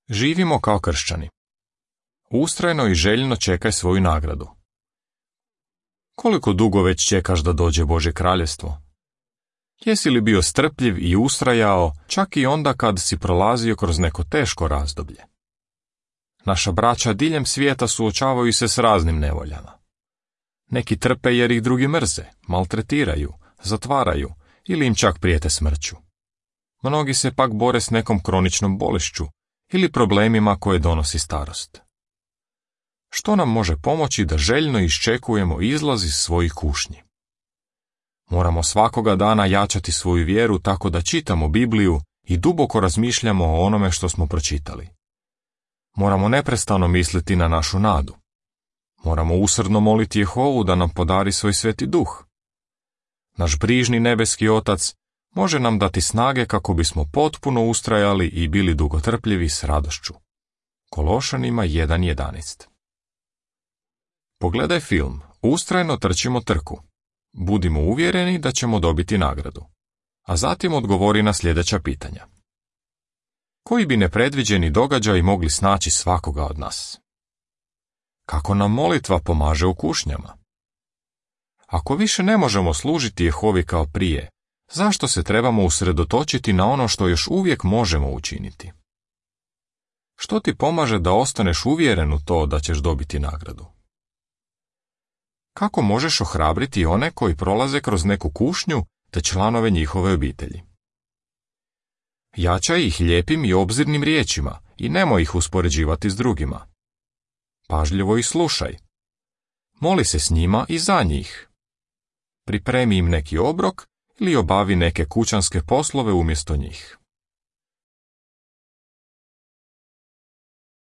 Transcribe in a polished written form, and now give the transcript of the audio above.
Živimo kao kršćani. Ustrajno i željno čekaj svoju nagradu. Koliko dugo već čekaš da dođe Božje kraljevstvo? Jesi li bio strpljiv i ustrajao čak i onda kad si prolazio kroz neko teško razdoblje? Naša braća diljem svijeta suočavaju se s raznim nevoljama. Neki trpe jer ih drugi mrze, maltretiraju, zatvaraju ili im čak prijete smrću. Mnogi se pak bore s nekom kroničnom bolešću ili problemima koje donosi starost. Što nam može pomoći da željno iščekujemo izlaz iz svojih kušnji? Moramo svakoga dana jačati svoju vjeru tako da čitamo Bibliju i duboko razmišljamo o onome što smo pročitali. Moramo neprestano misliti na našu nadu. Moramo usrdno moliti Jehovu da nam podari svoj Sveti Duh. Naš brižni nebeski Otac može nam dati snage kako bismo potpuno ustrajali i bili dugotrpljivi s radošću. Kološanima 1.11. Pogledaj film, ustrajno trčimo trku. Budimo uvjereni da ćemo dobiti nagradu. A zatim odgovori na sljedeća pitanja. Koji bi nepredviđeni događaji mogli snaći svakoga od nas? Kako nam molitva pomaže u kušnjama? Ako više ne možemo služiti Jehovi kao prije, zašto se trebamo usredotočiti na ono što još uvijek možemo učiniti? Što ti pomaže da ostaneš uvjeren u to da ćeš dobiti nagradu? Kako možeš ohrabriti one koji prolaze kroz neku kušnju te članove njihove obitelji? Jačaj ih lijepim i obzirnim riječima i nemoj ih uspoređivati s drugima. Pažljivo ih slušaj. Moli se s njima i za njih. Pripremi im neki obrok ili obavi neke kućanske poslove umjesto njih.